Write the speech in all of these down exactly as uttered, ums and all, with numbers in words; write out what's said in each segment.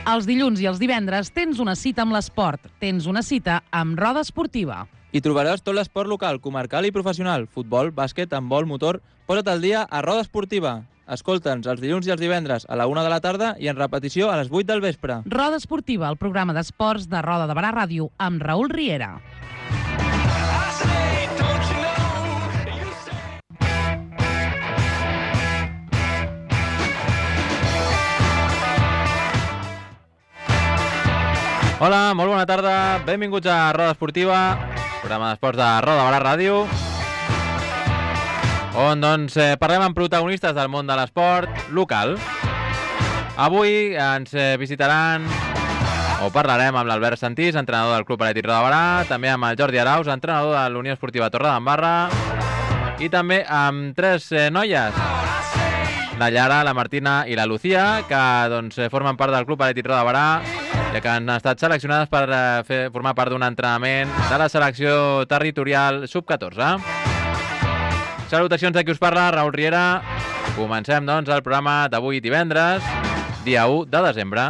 Els dilluns i els divendres tens una cita amb l'esport. Tens una cita amb Roda Esportiva. Hi trobaràs tot l'esport local, comarcal i professional. Futbol, bàsquet, handbol, motor... Posa't al dia a Roda Esportiva. Escolta'ns els dilluns i els divendres a la una de la tarda i en repetició a les vuit del vespre. Roda Esportiva, el programa d'esports de Roda de Barà Ràdio amb Raül Riera. Hola, molt bona tarda. Benvinguts a Roda Esportiva, programa d'esports de Roda de Barà Ràdio, on doncs, eh, parlem amb protagonistes del món de l'esport local. Avui ens eh, visitaran o parlarem amb l'Albert Santís, entrenador del Club Atlètic Roda de Barà, també amb el Jordi Arauz, entrenador de l'Unió Esportiva Torredembarra, i també amb tres eh, noies, la Llara, la Martina i la Lucía, que doncs, formen part del Club Atlètic Roda de Barà, ja que han estat seleccionades per eh, fer, formar part d'un entrenament de la selecció territorial sub catorze. Salutacions de qui us parla, Raül Riera. Comencem, doncs, el programa d'avui divendres, dia u de desembre.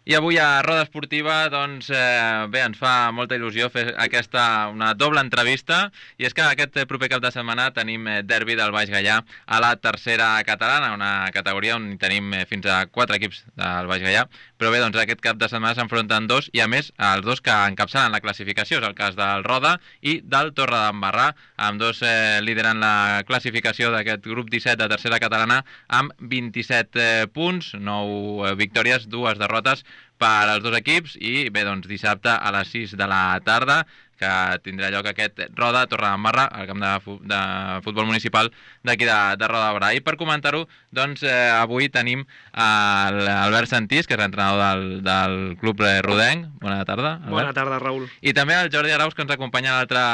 I avui a Roda Esportiva, doncs, eh, bé, ens fa molta il·lusió fer aquesta, una doble entrevista, i és que aquest proper cap de setmana tenim eh, derbi del Baix Gaià a la tercera catalana, una categoria on tenim eh, fins a quatre equips del Baix Gaià, però bé, doncs aquest cap de setmana s'enfronten dos, i a més, els dos que encapçalen la classificació, és el cas del Roda i del Torredembarra, amb dos eh, lideren la classificació d'aquest grup disset de tercera catalana amb vint-i-set eh, punts, nou eh, victòries, dues derrotes per als dos equips, i bé, doncs dissabte a les sis de la tarda, que tindrà lloc aquest Roda Torredembarra, al camp de, fu de futbol municipal d'aquí de, de Roda de Barà. I per comentar-ho, doncs eh, avui tenim l'Albert Santís, que és l'entrenador del, del club rodenc. Bona tarda, Albert. Bona tarda, Raül. I també el Jordi Arauz, que ens acompanya a l'altre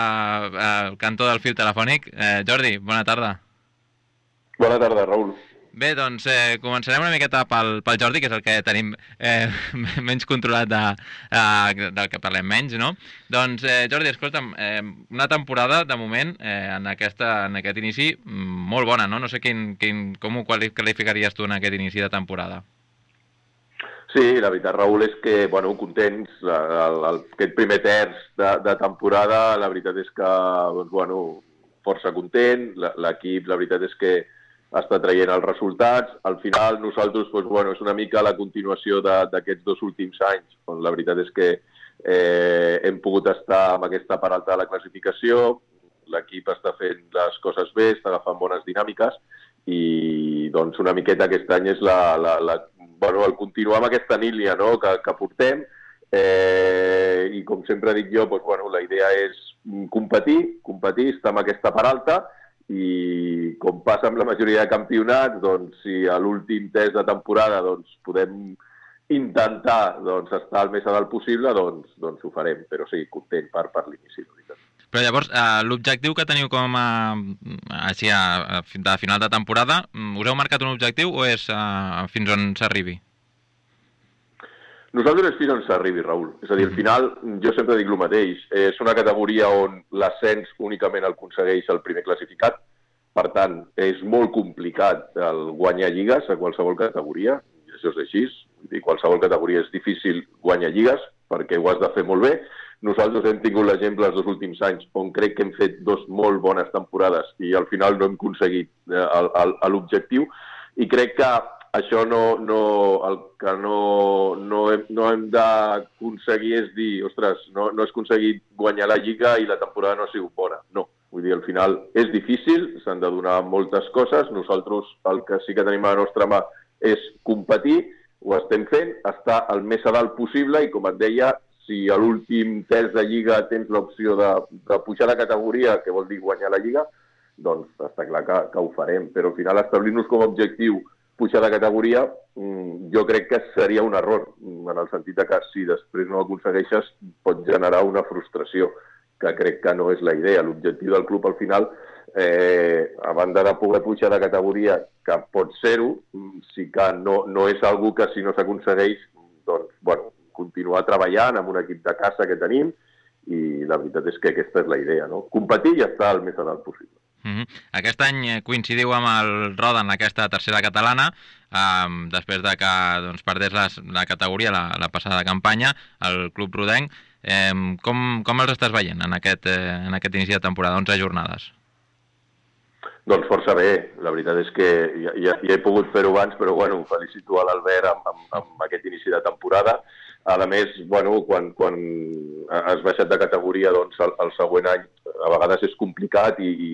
eh, cantó del fil telefònic. Eh, Jordi, bona tarda. Bona tarda, Raül. Bé, doncs eh, començarem una miqueta pel, pel Jordi, que és el que tenim eh, menys controlat de, eh, del que parlem menys, no? Doncs, eh, Jordi, escolta'm, eh, una temporada, de moment, eh, en, aquesta, en aquest inici, molt bona, no? No sé quin, quin, com ho qualificaries tu en aquest inici de temporada. Sí, la veritat, Raül, és que, bueno, contents. El, el, aquest primer terç de, de temporada, la veritat és que, doncs, bueno, força content. L'equip, la veritat és que està traient els resultats. Al final, nosaltres, doncs, bueno, és una mica la continuació d'aquests dos últims anys, on la veritat és que eh, hem pogut estar amb aquesta part alta de la classificació, l'equip està fent les coses bé, està agafant bones dinàmiques, i doncs una miqueta aquest any és la, la, la, bueno, el continuar amb aquesta línia, no?, que, que portem, eh, i com sempre dic jo, doncs, bueno, la idea és competir, competir, estar amb aquesta part alta, i com passa amb la majoria de campionats, doncs, si a l'últim test de temporada doncs, podem intentar doncs, estar el més a dalt possible, doncs, doncs ho farem, però sí, content per, per l'inici. Però llavors, eh, l'objectiu que teniu com a, així, a, a, de final de temporada, us heu marcat un objectiu o és a, fins on s'arribi? Nosaltres és fins on s'arribi, Raül. És a dir, al final, jo sempre dic el mateix. És una categoria on l'ascens únicament el aconsegueix el primer classificat. Per tant, és molt complicat el guanyar lligues a qualsevol categoria. Això és així. I qualsevol categoria és difícil guanyar lligues perquè ho has de fer molt bé. Nosaltres hem tingut l'exemple els dos últims anys on crec que hem fet dos molt bones temporades i al final no hem aconseguit l'objectiu. I crec que això no, no, el que no, no hem, no hem d'aconseguir és dir, ostres, no, no has aconseguit guanyar la Lliga i la temporada no ha sigut bona. No, vull dir, al final és difícil, s'han de donar moltes coses. Nosaltres el que sí que tenim a la nostra mà és competir, ho estem fent, estar el més a dalt possible i, com et deia, si a l'últim test de Lliga tens l'opció de, de pujar de categoria, que vol dir guanyar la Lliga, doncs està clar que, que ho farem. Però al final establir-nos com a objectiu pujar de categoria, jo crec que seria un error, en el sentit de que si després no ho aconsegueixes pot generar una frustració, que crec que no és la idea. L'objectiu del club al final, eh, a banda de poder pujar de categoria, que pot ser-ho, sí que no, no és algo que si no s'aconsegueix, doncs, bueno, continuar treballant amb un equip de casa que tenim, i la veritat és que aquesta és la idea, no? Competir i estar el més a dalt possible. Mm-hmm. Aquest any coincidiu amb el Roda en aquesta tercera catalana, eh, després de que doncs, perdés la, la categoria la, la passada campanya, el club rodenc. Eh, com, com els estàs veient en aquest, eh, en aquest inici de temporada, onze jornades? Doncs força bé, la veritat és que ja, ja, ja he pogut fer-ho abans, però bueno, felicito a l'Albert amb, amb, amb aquest inici de temporada. A més, bueno, quan, quan has baixat de categoria, doncs el, el següent any a vegades és complicat i, i,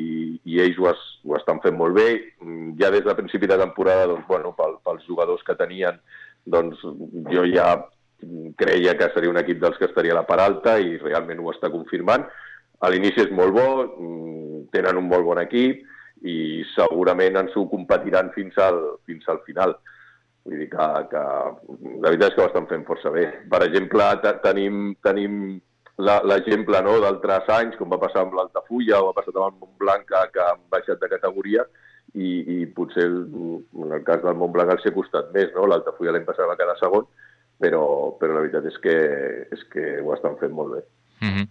i ells ho, es, ho estan fent molt bé. Ja des de principi de temporada, doncs, bueno, pel, pels jugadors que tenien, doncs jo ja creia que seria un equip dels que estaria a la part alta i realment ho està confirmant. A l'inici és molt bo, tenen un molt bon equip i segurament ens ho competiran fins al, fins al final. Vull dir que, que la veritat és que ho estan fent força bé. Per exemple, tenim, tenim l'exemple, no, d'altres anys, com va passar amb l'Altafulla o va passar amb el Montblanc, que, que han baixat de categoria i, i potser en el cas del Montblanc els ha costat més, no? L'Altafulla l'any passat va quedar segon, però, però la veritat és que, és que ho estan fent molt bé. Mm-hmm.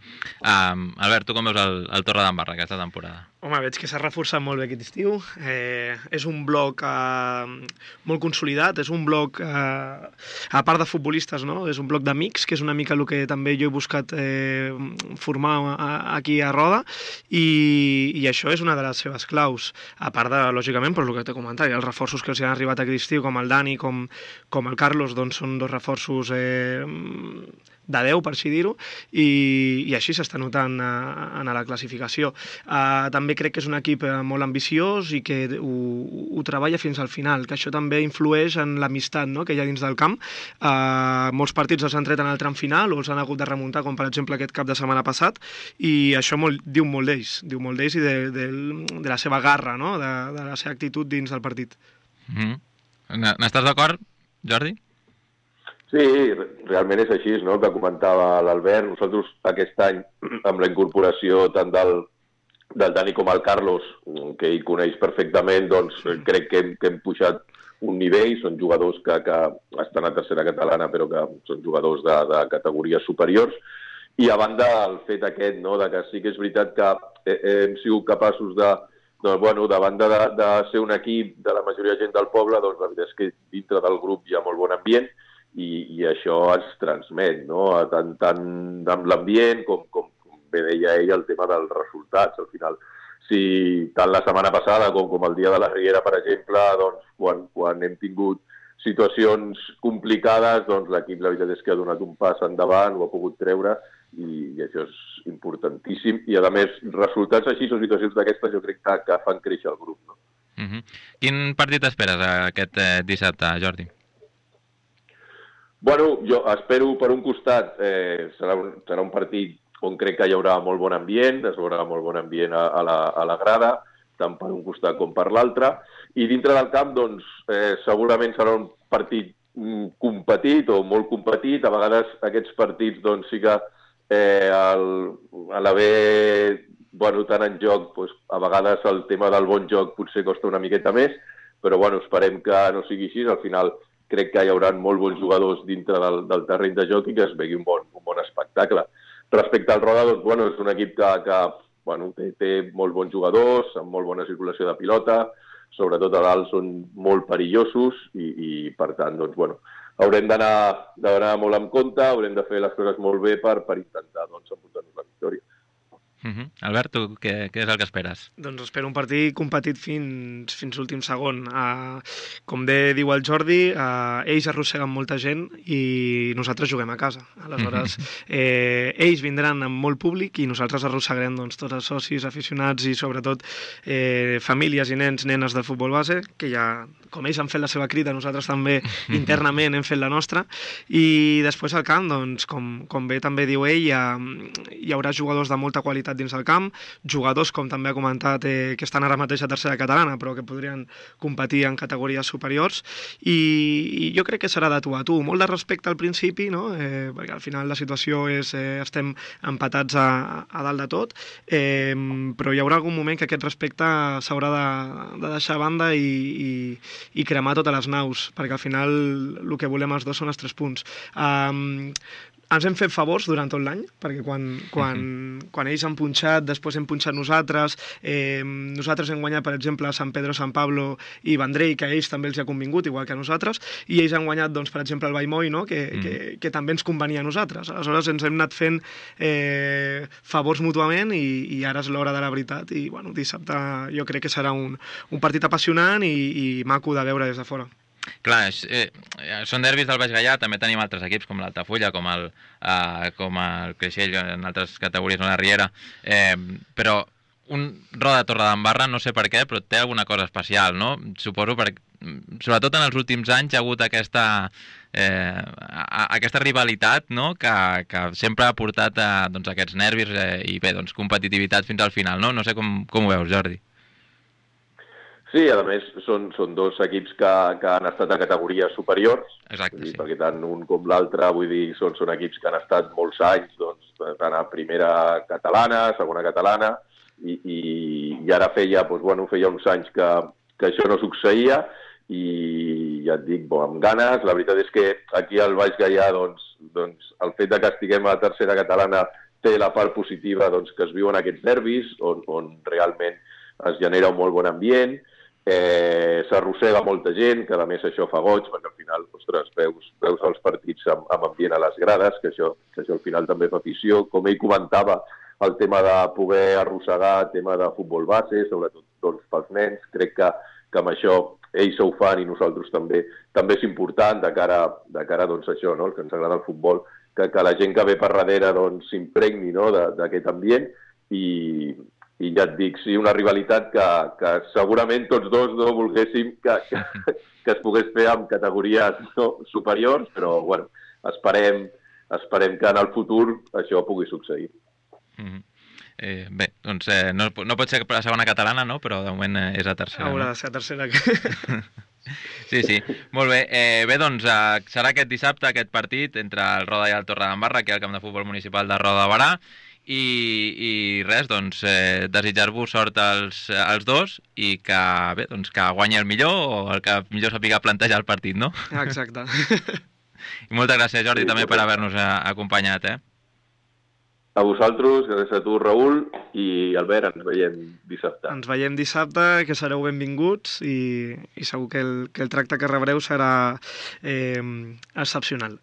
um, Albert, tu com veus el, el Torredembarra aquesta temporada? Home, veig que s'ha reforçat molt bé aquest estiu. Eh, és un bloc eh, molt consolidat, és un bloc, eh, a part de futbolistes, no? És un bloc d'amics, que és una mica el que també jo he buscat eh, formar a, aquí a Roda, i, i això és una de les seves claus. A part de, lògicament, per el que t'he comentat, els reforços que els han arribat aquest estiu, com el Dani, com, com el Carlos, doncs són dos reforços eh, de deu, per així dir-ho, i, i així s'està notant a, a la classificació. Uh, també crec que és un equip molt ambiciós i que ho, ho treballa fins al final, que això també influeix en l'amistat, no?, que hi ha dins del camp. Uh, molts partits els han tret en el tram final o els han hagut de remuntar, com per exemple aquest cap de setmana passat, i això molt, diu molt d'ells, diu molt d'ells i de, de, de la seva garra, no?, de, de la seva actitud dins del partit. Mm-hmm. N'estàs d'acord, Jordi? Sí, realment és així, no?, que comentava l'Albert. Nosaltres aquest any, amb la incorporació tant del, del Dani com el Carlos, que ell coneix perfectament, doncs crec que hem, que hem pujat un nivell. Són jugadors que, que estan a tercera catalana, però que són jugadors de, de categories superiors. I a banda el fet aquest, no?, de que sí que és veritat que hem sigut capaços de, doncs, bueno, de banda de, de ser un equip de la majoria de gent del poble, doncs la veritat és que dintre del grup hi ha molt bon ambient, I, i això es transmet, no?, tant, tant amb l'ambient com, com, com bé deia ell, el tema dels resultats. Al final, si tant la setmana passada com, com el dia de la Riera, per exemple, doncs, quan, quan hem tingut situacions complicades, doncs l'equip la veritat és que ha donat un pas endavant, ho ha pogut treure, i, i això és importantíssim. I a més, resultats així o situacions d'aquestes jo crec que, que fan créixer el grup, no? Mm-hmm. Quin partit esperes aquest eh, dissabte, Jordi? Bueno, jo espero, per un costat, eh, serà, un, serà un partit on crec que hi haurà molt bon ambient, es veurà molt bon ambient a, a, la, a la grada, tant per un costat com per l'altre, i dintre del camp, doncs, eh, segurament serà un partit mm, competit o molt competit. A vegades aquests partits, doncs, sí que eh, el, a l'haver, bueno, tant en joc, doncs, a vegades el tema del bon joc potser costa una miqueta més, però, bueno, esperem que no sigui així. Al final, crec que hi haurà molt bons jugadors dintre del, del terreny de joc i que es vegi un bon, un bon espectacle. Respecte al Roda, doncs, bueno, és un equip que, que bueno, té, té molt bons jugadors, amb molt bona circulació de pilota, sobretot a dalt són molt perillosos i, i per tant, doncs, bueno, haurem d'anar molt amb compte, haurem de fer les coses molt bé per, per intentar, doncs, emportar-nos la victòria. Uh-huh. Albert, tu què, què és el que esperes? Doncs espero un partit competit fins, fins l'últim segon. Uh, com bé diu el Jordi, uh, ells arrosseguen molta gent i nosaltres juguem a casa. Aleshores, eh, ells vindran amb molt públic i nosaltres arrossegarem, doncs, tots els socis, aficionats i sobretot eh, famílies i nens, nenes del futbol base, que ja com ells han fet la seva crida, nosaltres també internament hem fet la nostra, i després al camp, doncs, com, com bé també diu ell, hi, ha, hi haurà jugadors de molta qualitat dins del camp, jugadors, com també ha comentat, eh, que estan ara mateix a tercera catalana, però que podrien competir en categories superiors, i, i jo crec que serà de tu a tu, molt de respecte al principi, no? eh, perquè al final la situació és, eh, estem empatats a, a dalt de tot, eh, però hi haurà algun moment que aquest respecte s'haurà de, de deixar a banda i, i, i cremar totes les naus, perquè al final el que volem els dos són els tres punts. Um, ens hem fet favors durant tot l'any, perquè quan, quan, uh-huh. quan ells han punxat, després hem punxat nosaltres, eh, nosaltres hem guanyat, per exemple, Sant Pedro, Sant Pablo i Vendrell, que a ells també els ha convingut, igual que a nosaltres, i ells han guanyat, doncs, per exemple, el Vallmoll, no? que, uh-huh. que, que també ens convenia a nosaltres. Aleshores ens hem anat fent eh, favors mútuament i, i ara és l'hora de la veritat, i bueno, dissabte jo crec que serà un, un partit apassionant i, i maco de veure des de fora. Clar, eh, són derbis del Baix Gaià, també tenim altres equips com l'Altafulla, com el, eh, com el Creixell, en altres categories, no la Riera, eh, però un Roda Torredembarra, no sé per què, però té alguna cosa especial, no? Suposo perquè, sobretot en els últims anys, hi ha hagut aquesta, eh, aquesta rivalitat, no? que, que sempre ha portat a, doncs, aquests nervis eh, i bé, doncs, competitivitat fins al final, no? No sé com, com ho veus, Jordi. Sí, a més, són, són dos equips que, que han estat a categories superiors. Exacte, dir, sí. Perquè tant un com l'altre, vull dir, són, són equips que han estat molts anys, doncs, tant a primera catalana, segona catalana, i, i, i ara feia, doncs, bueno, feia uns anys que, que això no succeïa, i ja et dic, bo, amb ganes. La veritat és que aquí al Baix Gaià, doncs, doncs, el fet de que estiguem a la tercera catalana té la part positiva, doncs, que es viuen aquests nervis, on, on realment es genera un molt bon ambient. Eh, s'arrossega molta gent, que a més això fa goig, perquè al final, ostres, veus, veus els partits amb, amb ambient a les grades, que això, que això al final també fa afició. Com ell comentava, el tema de poder arrossegar, el tema de futbol base, sobretot doncs, pels nens, crec que, que amb això ells ho fan i nosaltres també també és important de cara, de cara doncs, això, no? El que ens agrada el futbol, que, que la gent que ve per darrere doncs, s'impregni, no? d'aquest ambient, i, i ja et dic, sí, una rivalitat que, que segurament tots dos no volguéssim que, que, que es pogués fer amb categories no, superiors, però bueno, esperem, esperem que en el futur això pugui succeir. Mm-hmm. eh, bé, doncs eh, no, no pot ser la segona catalana, no? Però de moment eh, és la tercera. Haurà de ser la tercera. Sí, sí. Molt bé. Eh, bé, doncs eh, serà aquest dissabte aquest partit entre el Roda i el Torredembarra, aquí al camp de futbol municipal de Roda de Barà. I, i res, doncs, eh, desitjar-vos sort als, als dos i que, bé, doncs, que guanyi el millor o el que millor sàpiga plantejar el partit, no? Exacte. I moltes gràcies, Jordi, sí, també per haver-nos acompanyat, eh? A vosaltres, gràcies a tu, Raül, i Albert, ens veiem dissabte. Ens veiem dissabte, que sereu benvinguts i, i segur que el, que el tracte que rebreu serà eh, excepcional.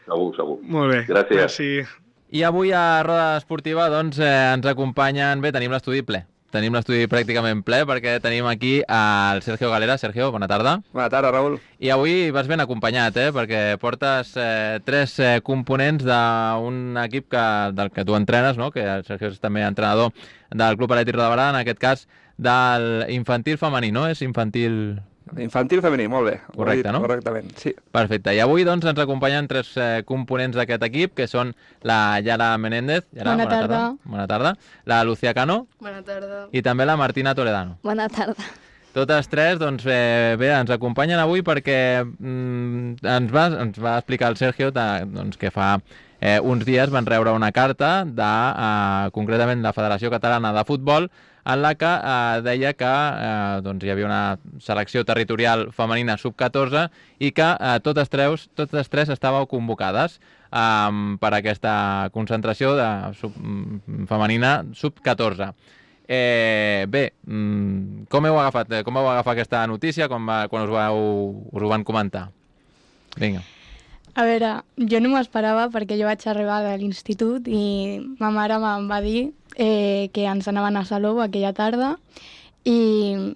Segur, segur. Molt bé. Gràcies. Gràcies. I avui a Roda Esportiva doncs, eh, ens acompanyen... Bé, tenim l'estudi ple. Tenim l'estudi pràcticament ple perquè tenim aquí el Sergio Galera. Sergio, bona tarda. Bona tarda, Raül. I avui vas ben acompanyat, eh? Perquè portes eh, tres eh, components d'un equip que, del que tu entrenes, no? Que el Sergio és també entrenador del Club Atlètic Roda de Barà, en aquest cas del infantil femení, no? És infantil... Infantil femení, molt bé. Correcte, no? Correctament, sí. Perfecte. I avui doncs, ens acompanyen tres eh, components d'aquest equip, que són la Yara Menéndez. Yara, bona, bona tarda. tarda. Bona tarda. La Lucía Cano. Bona tarda. I també la Martina Toledano. Bona tarda. Totes tres, doncs, eh, bé, ens acompanyen avui perquè mm, ens, va, ens va explicar el Sergio de, doncs, que fa eh, uns dies van rebre una carta de, eh, concretament, la Federació Catalana de Futbol, en la que eh, deia que eh, doncs hi havia una selecció territorial femenina sub catorze i que eh, totes, tres, totes tres estàveu convocades eh, per aquesta concentració de sub, femenina sub catorze. Eh, bé, com heu agafat, com heu agafat aquesta notícia com va, quan us, vau, us ho van comentar? Vinga. A veure, jo no m'ho esperava perquè jo vaig arribar de l'institut i ma mare em va dir eh, que ens anaven a Salou aquella tarda i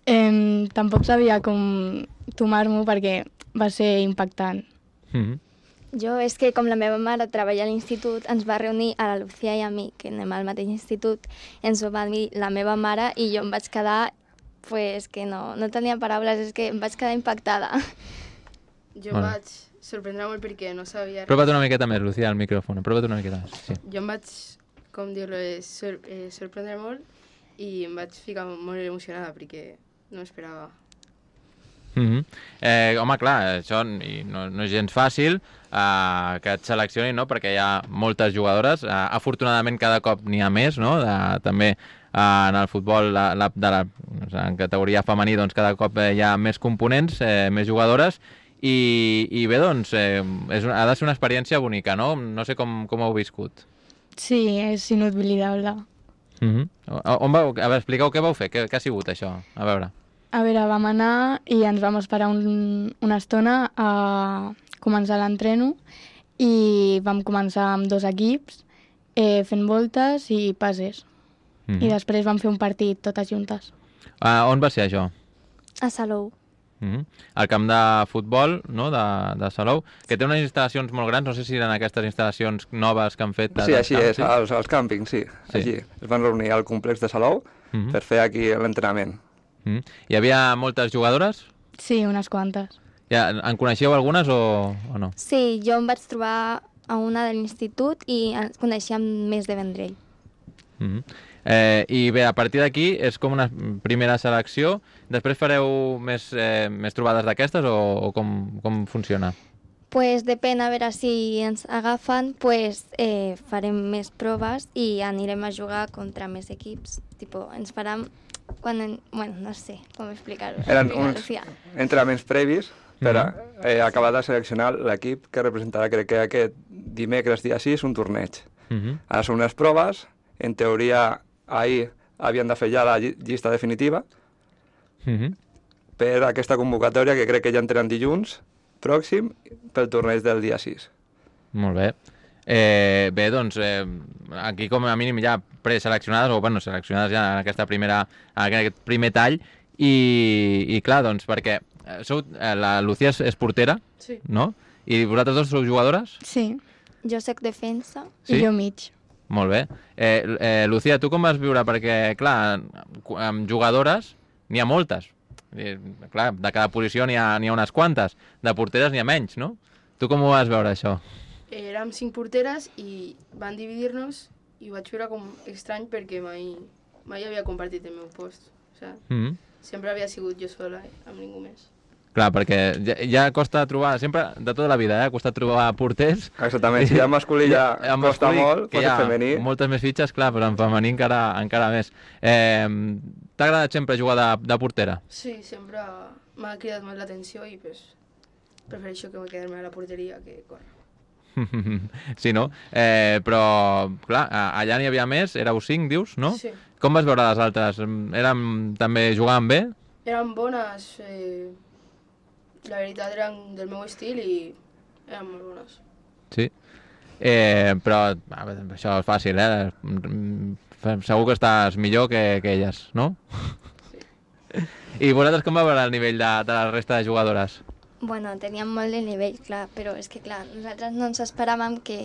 eh, tampoc sabia com tomar-m'ho perquè va ser impactant. Mm-hmm. Jo és que com la meva mare treballa a l'institut ens va reunir a la Lucía i a mi, que anem al mateix institut, ens ho va dir la meva mare i jo em vaig quedar pues que no, no tenia paraules, és que em vaig quedar impactada. Jo Bueno. em vaig sorprendre molt perquè no sabia res. Apropa't una miqueta més, Lucía, al micròfon. Apropa't una miqueta més. Sí. Jo em vaig, com dir-lo, eh, sor eh, sorprendre molt i em vaig ficar molt emocionada perquè no esperava. Mm -hmm. eh, home, clar, això i no, no és gens fàcil eh, que et seleccionin, no? Perquè hi ha moltes jugadores. Eh, afortunadament cada cop n'hi ha més, no? De, també eh, en el futbol la, la, de la, en categoria femení doncs, cada cop eh, hi ha més components, eh, més jugadores. I, i bé, doncs, eh, és, ha de ser una experiència bonica, no? No sé com, com ho heu viscut. Sí, és inolvidable. Mm -hmm. On vau, a veure, expliqueu què vau fer, què, què ha sigut això? A veure. A veure, vam anar i ens vam esperar un, una estona a començar l'entreno i vam començar amb dos equips eh, fent voltes i passes. Mm -hmm. I després vam fer un partit totes juntes. Uh, on va ser això? A Salou. Mm -hmm. El camp de futbol, no?, de, de Salou, que té unes instal·lacions molt grans, no sé si eren aquestes instal·lacions noves que han fet... Sí, així camp, és, als, als càmpings, sí. Sí. Així. Es van reunir al complex de Salou Mm -hmm. per fer aquí l'entrenament. Mm -hmm. Hi havia moltes jugadores? Sí, unes quantes. Ja, en coneixeu algunes o, o no? Sí, jo em vaig trobar a una de l'institut i ens coneixíem més de Vendrell. Mm -hmm. eh, I bé, a partir d'aquí és com una primera selecció. Després fareu més, eh, més trobades d'aquestes o, o com, com funciona? Pues depèn, a veure si ens agafen, pues eh, farem més proves i anirem a jugar contra més equips. Tipo, ens farem... Quan en... Bueno, no sé com explicar-ho. Eren Explicar-ho, uns sí. entrenaments previs per Mhm. a, eh, acabar de seleccionar l'equip que representarà, crec que aquest dimecres dia sis, un torneig. Mm -hmm. Ara són unes proves, en teoria ahir havien de fer ja la lli- llista definitiva Mm -hmm. per aquesta convocatòria que crec que ja entrenen dilluns pròxim pel torneig del dia sis. Molt bé. Eh, bé, doncs, eh, aquí com a mínim ja preseleccionades, o bueno, seleccionades ja en aquesta primera, en aquest primer tall, i, i clar, doncs, perquè eh, sou, eh, la Lucía és, és portera, Sí. no? I vosaltres dos sou jugadores? Sí, Jo soc defensa. Sí? i jo mig. Molt bé. Eh, eh, Lucía, tu com vas viure? Perquè, clar, cu- amb jugadores n'hi ha moltes. Eh, clar, de cada posició n'hi ha, n'hi ha unes quantes. De porteres n'hi ha menys, no? Tu com ho vas veure, això? Érem cinc porteres i van dividir-nos i ho vaig veure com estrany perquè mai, mai havia compartit el meu post. O sigui, Mm -hmm. sempre havia sigut jo sola, eh, amb ningú més. Clar, perquè ja, ja costa trobar, sempre, de tota la vida, eh, ha costat trobar porters. Exactament, si hi ha masculí ja en costa masculí, molt, que pot hi ha ser femení. moltes més fitxes, clar, però en femení encara, encara més. Eh, T'ha agradat sempre jugar de, de portera? Sí, sempre m'ha cridat molt l'atenció i pues, prefereixo que me quedar-me a la porteria que córrer. Sí, no? Eh, però, clar, a- allà n'hi havia més, éreu cinc, dius, no? Sí. Com vas veure les altres? Eren, també jugaven bé? Eren bones, eh, la veritat eren del meu estil i eren molt bones. Sí. Eh, però, a veure, això és fàcil, eh? Mm, Segur que estàs millor que, que elles, no? Sí. I vosaltres com va veure el nivell de, de la resta de jugadores? Bueno, teníem molt de nivell, clar, però és que, clar, nosaltres no ens esperàvem que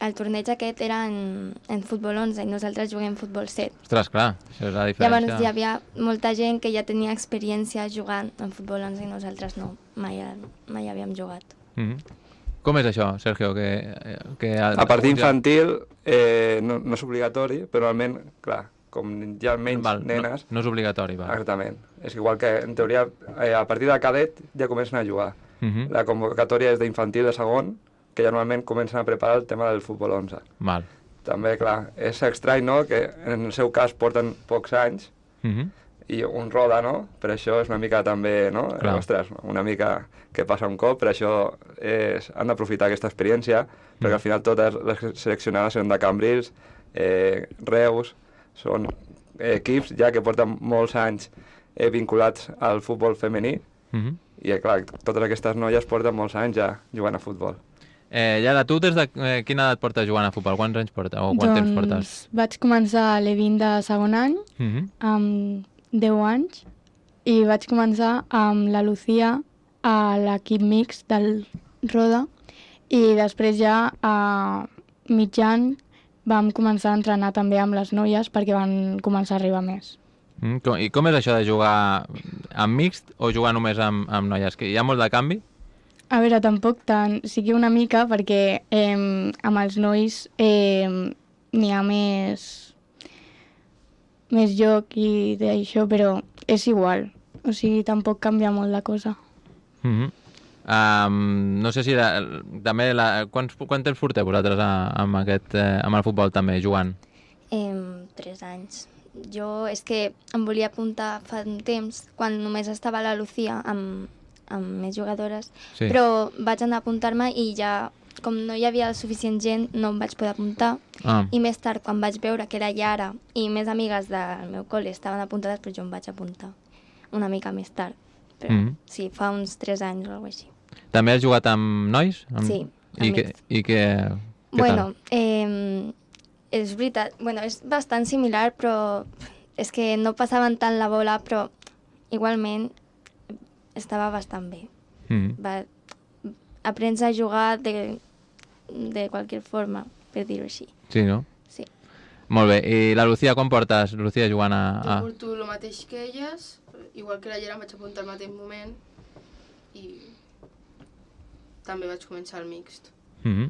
el torneig aquest era en, en futbol onze i nosaltres juguem futbol set. Ostres, clar, això és la diferència. Llavors hi havia molta gent que ja tenia experiència jugant en futbol onze i nosaltres no, mai, mai havíem jugat. Mm -hmm. Com és això, Sergio? Que, que A partir infantil eh, no, no és obligatori, però almenys, clar, com hi ha menys Val, nenes... No, no és obligatori, va. Exactament. És igual que, en teoria, eh, a partir de cadet ja comencen a jugar. Mm -hmm. La convocatòria és d'infantil de segon, que ja normalment comencen a preparar el tema del futbol onze. Val. També, clar, és estrany, no?, que en el seu cas porten pocs anys Mm -hmm. i un roda, no? Per això és una mica també, no? Clar. Ostres, una mica que passa un cop, per això és, han d'aprofitar aquesta experiència, perquè Mm. al final totes les seleccionades són de Cambrils, eh, Reus, són eh, equips ja que porten molts anys eh, vinculats al futbol femení, Mm -hmm. i eh, clar, totes aquestes noies porten molts anys ja jugant a futbol. Eh, Yara, tu des de eh, quina edat portes jugant a futbol? Quants anys portes? O quant temps portes? Doncs vaig començar a l'E vint de segon any, Mm -hmm. amb deu anys, i vaig començar amb la Lucía a l'equip mix del Roda, i després ja a mig any vam començar a entrenar també amb les noies perquè van començar a arribar més. Mm, com, I com és això de jugar amb mixt o jugar només amb, amb noies? Que hi ha molt de canvi? A veure, tampoc tant, sí que una mica, perquè eh, amb els nois eh, n'hi ha més, més joc i d'això, però és igual. O sigui, tampoc canvia molt la cosa. Mm -hmm. um, no sé si la, també la, quants, quant temps porteu vosaltres a, amb, aquest, eh, amb el futbol també, jugant? Eh, tres anys. Jo és que em volia apuntar fa un temps, quan només estava la Lucía amb, amb més jugadores, Sí. però vaig anar a apuntar-me i ja, com no hi havia suficient gent, no em vaig poder apuntar. Ah. I més tard, quan vaig veure que era Yara i més amigues del meu col·le estaven apuntades, però jo em vaig apuntar una mica més tard. Però Mhm. sí, fa uns tres anys o alguna cosa així. També has jugat amb nois? Amb... Sí, amb I, que, mixt. i que, què Bueno, eh, és veritat, bueno, és bastant similar, però és que no passaven tant la bola, però igualment estava bastant bé. tal? Mm. Va, aprens a jugar de, de qualsevol forma, per dir-ho així. Sí, no? Sí. Molt bé. I la Lucía, com portes, Lucía, jugant a... Jo a... porto el mateix que elles, igual que la Llera em vaig apuntar al mateix moment i també vaig començar el mixt. Mm -hmm.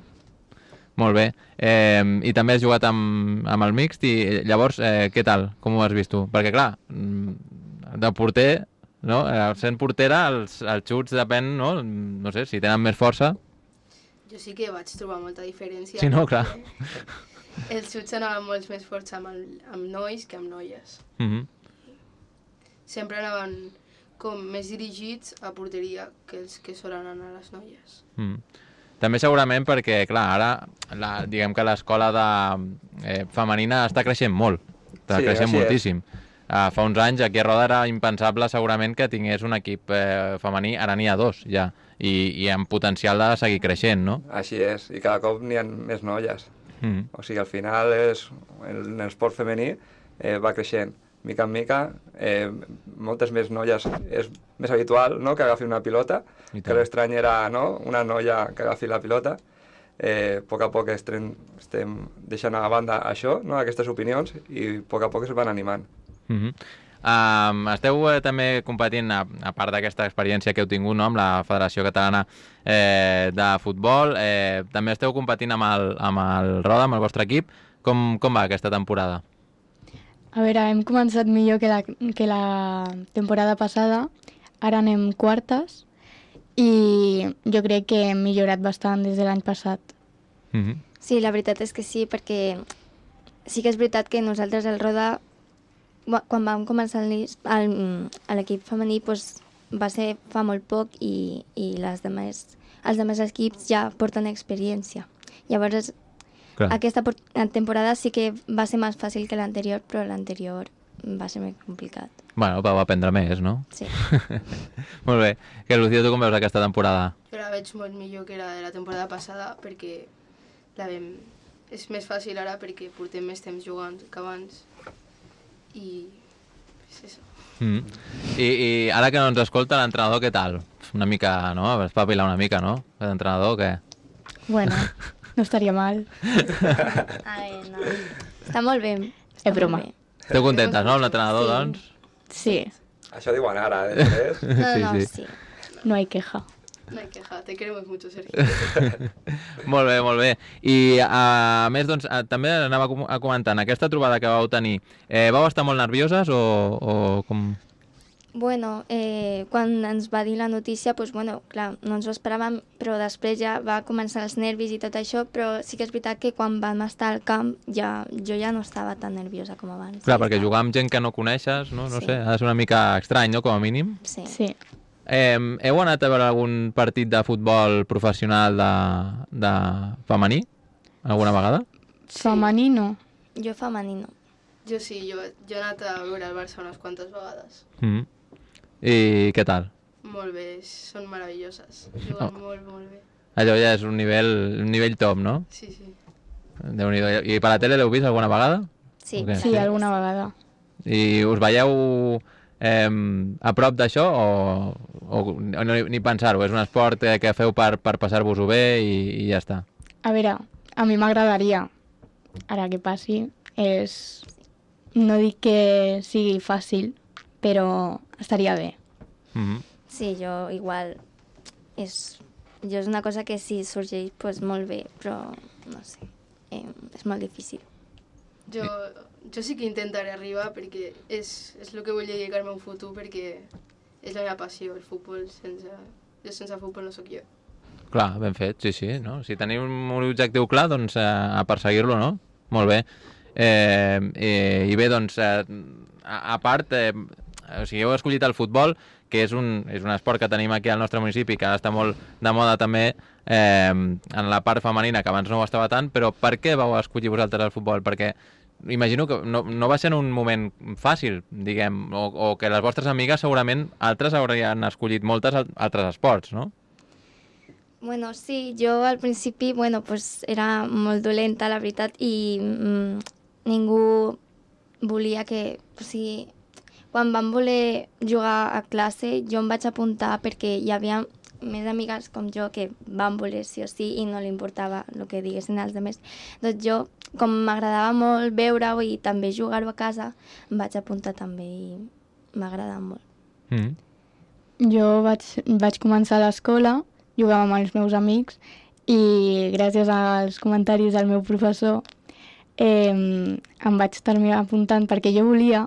Molt bé. Eh, I també has jugat amb, amb el mixt i llavors, eh, què tal? Com ho has vist tu? Perquè, clar, mm, de porter, no? Eh, sent portera, els, els xuts depèn, no? No sé, si tenen més força. Jo sí que vaig trobar molta diferència. Sí, no? Clar. perquè Els xuts anaven molt més forts amb, el, amb nois que amb noies. Mm -hmm. Sempre anaven com més dirigits a porteria que els que solen anar a les noies. Mm. També segurament perquè, clar, ara la, diguem que l'escola de eh, femenina està creixent molt, està Sí, creixent així és. moltíssim. Uh, fa uns anys aquí a Roda era impensable segurament que tingués un equip eh, femení, ara n'hi ha dos ja, i, i amb potencial de seguir creixent, no? Així és, i cada cop n'hi ha més noies. Mm. O sigui, al final és, el, en l'esport femení eh, va creixent. Mica en mica, eh, moltes més noies, és més habitual, no?, que agafi una pilota, I que tant. l'estrany era, no?, una noia que agafi la pilota. Eh, a poc a poc estem, estem deixant a banda això, no?, aquestes opinions, i a poc a poc es van animant. Mm -hmm. um, esteu eh, també competint, a, a part d'aquesta experiència que heu tingut, no?, amb la Federació Catalana eh, de Futbol, eh, també esteu competint amb el, amb el Roda, amb el vostre equip. Com, com va aquesta temporada? A veure, hem començat millor que la, que la temporada passada, ara anem quartes i jo crec que hem millorat bastant des de l'any passat. Mm -hmm. Sí, la veritat és que sí, perquè sí que és veritat que nosaltres al Roda, bu- quan vam començar el- el- a l'equip femení, doncs, va ser fa molt poc i, i les demés, els altres equips ja porten experiència. Llavors, Clar. aquesta por- temporada sí que va ser més fàcil que l'anterior, però l'anterior va ser més complicat. Bueno, va aprendre més, no? Sí. Molt bé. Que, Lucía, tu com veus aquesta temporada? Jo la veig molt millor que la de la temporada passada perquè la vam... és més fàcil ara perquè portem més temps jugant que abans i és això. Mm. I, I ara que no ens escolta l'entrenador, què tal? Una mica, no? Espavilar una mica, no? L'entrenador, què? Bueno, no estaria mal. Ai, no. Està molt bé. És broma. Esteu contentes, no, amb l'entrenador, Sí. doncs? Sí, Això diuen ara, eh? després. No, Sí, no, sí. sí. no hay queja. No hay queja, te queremos mucho, Sergio. Molt bé, molt bé. I a més, doncs, a, també anava a com- a comentant, aquesta trobada que vau tenir, eh, vau estar molt nervioses o, o com... Bueno, eh, quan ens va dir la notícia, doncs, bueno, clar, no ens ho esperàvem, però després ja va començar els nervis i tot això, però sí que és veritat que quan vam estar al camp ja, jo ja no estava tan nerviosa com abans. Clar, Ja perquè estava- jugar amb gent que no coneixes, no, no Sí. sé, ha de ser una mica estrany, no?, com a mínim. Sí. Sí. Eh, heu anat a veure algun partit de futbol professional de, de femení? Alguna vegada? Femení no. Jo femení no. Jo sí, jo, jo he anat a veure el Barça unes quantes vegades. Mm. I què tal? Molt bé, són meravelloses. Juguen Oh. molt, molt bé. Allò ja és un nivell, un nivell top, no? Sí, sí. Déu-n'hi-do. I per la tele l'heu vist alguna vegada? Sí. O què? Sí, alguna vegada. I us veieu eh, a prop d'això o, o no, ni pensar-ho? És un esport eh, que feu per, per passar-vos-ho bé i, i ja està. A veure, a mi m'agradaria, ara que passi, és no dic que sigui fàcil, però estaria bé. Mm-hmm. Sí, jo igual... És, jo és una cosa que si sorgeix, pues, molt bé, però no sé, eh, és molt difícil. Jo, jo sí que intentaré arribar perquè és, és el que vull dedicar-me a un futur, perquè és la meva passió, el futbol. Sense, jo sense futbol no sóc jo. Clar, ben fet, sí, sí. No? Si teniu un objectiu clar, doncs eh, a perseguir-lo, no? Molt bé. Eh, eh, I bé, doncs, eh, a, a part, eh, o sigui, heu escollit el futbol, que és un, és un esport que tenim aquí al nostre municipi, que ara està molt de moda també eh, en la part femenina, que abans no ho estava tant, però per què vau escollir vosaltres el futbol? Perquè imagino que no, no va ser en un moment fàcil, diguem, o, o que les vostres amigues segurament altres haurien escollit moltes altres esports, no? Bueno, sí, jo al principi, bueno, pues era molt dolenta, la veritat, i mm, ningú volia que... O sigui, quan vam voler jugar a classe, jo em vaig apuntar perquè hi havia més amigues com jo que van voler sí o sí i no li importava el que diguessin els altres. Doncs jo, com m'agradava molt veure-ho i també jugar-ho a casa, em vaig apuntar també i m'agradava molt. Mm. Jo vaig, vaig començar a l'escola, jugava amb els meus amics i gràcies als comentaris del meu professor eh, em vaig terminar apuntant perquè jo volia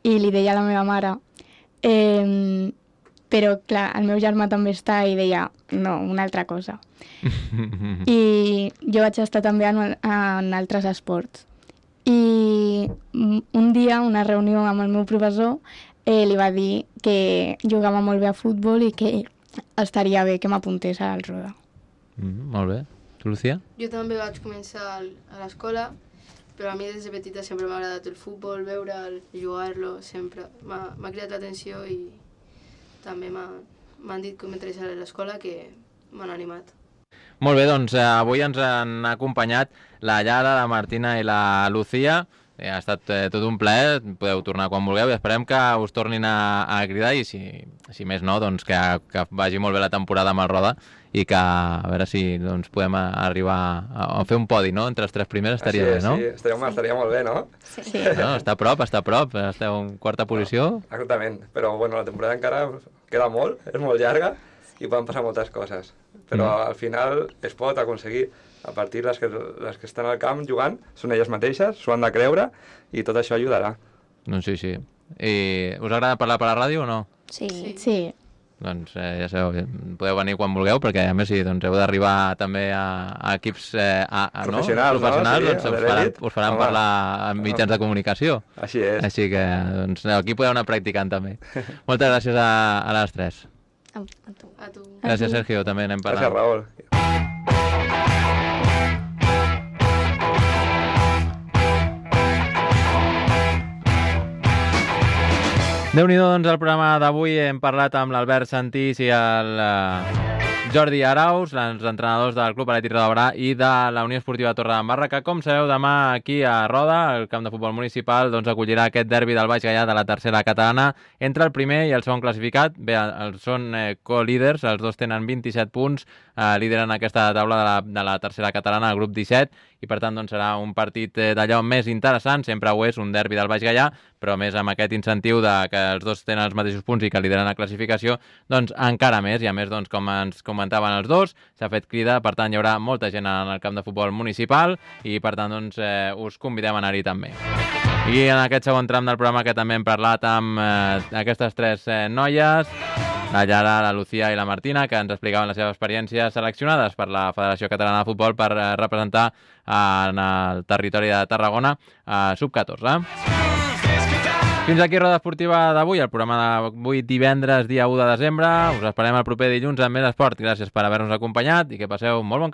i li deia a la meva mare eh, però clar, el meu germà també està i deia no, una altra cosa. I jo vaig estar també en, en altres esports i un dia, una reunió amb el meu professor eh, li va dir que jugava molt bé a futbol i que estaria bé que m'apuntés al Roda. Mm, molt bé. Tu, Lucía? Jo també vaig començar a l'escola, però a mi des de petita sempre m'ha agradat el futbol, veure'l, jugar-lo, sempre. M'ha cridat l'atenció i també m'han dit que m'interessava a l'escola, que m'han animat. Molt bé, doncs eh, avui ens han acompanyat la Yara, la Martina i la Lucía. Eh, ha estat eh, tot un plaer, podeu tornar quan vulgueu i esperem que us tornin a, a cridar i si, si més no, doncs que, que vagi molt bé la temporada amb el Roda i que a veure si doncs, podem arribar a, a fer un podi, no? Entre les tres primeres estaria Així, bé, no? Sí, estaria, sí. estaria molt bé, no? Sí. Sí. No, està a prop, està a prop, esteu en quarta posició. No, exactament, però bueno, la temporada encara queda molt, és molt llarga i poden passar moltes coses, però mm. al final es pot aconseguir. A partir les que, les que estan al camp jugant són elles mateixes, s'ho han de creure i tot això ajudarà. Doncs sí, sí. I us agrada parlar per la ràdio o no? Sí. Sí. Sí. Doncs eh, ja sabeu, podeu venir quan vulgueu, perquè a més si doncs, heu d'arribar també a, a equips eh, a, a, professionals, no? professionals no? Sí, doncs us faran, us faran parlar en mitjans de comunicació. Així és. Així que doncs, aquí podeu anar practicant també. Moltes gràcies a, a les tres. A, a tu. A tu. Gràcies, Sergio, també anem parlant. Gràcies, Raül. Déu-n'hi-do, doncs, el programa d'avui hem parlat amb l'Albert Santís i el uh, Jordi Arauz, els entrenadors del Club Atlètic Roda Berà i de la Unió Esportiva Torredembarra, que, com sabeu, demà aquí a Roda, el camp de futbol municipal, doncs, acollirà aquest derbi del Baix Gaià de la tercera catalana entre el primer i el segon classificat. Bé, els són eh, co-líders, els dos tenen vint-i-set punts, eh, lideren aquesta taula de la, de la tercera catalana, el grup disset, i per tant doncs, serà un partit eh, d'allò més interessant, sempre ho és, un derbi del Baix Gaià, però més amb aquest incentiu de que els dos tenen els mateixos punts i que lideren la classificació, doncs encara més, i a més, doncs, com ens comentaven els dos, s'ha fet crida, per tant hi haurà molta gent en el camp de futbol municipal i per tant doncs, eh, us convidem a anar-hi també. I en aquest segon tram del programa que també hem parlat amb eh, aquestes tres eh, noies, la Yara, la Lucía i la Martina, que ens explicaven les seves experiències seleccionades per la Federació Catalana de Futbol per eh, representar eh, en el territori de Tarragona a eh, sub catorze. Fins aquí Roda Esportiva d'avui, el programa d'avui divendres, dia u de desembre. Us esperem el proper dilluns amb més esport. Gràcies per haver-nos acompanyat i que passeu molt bon cap.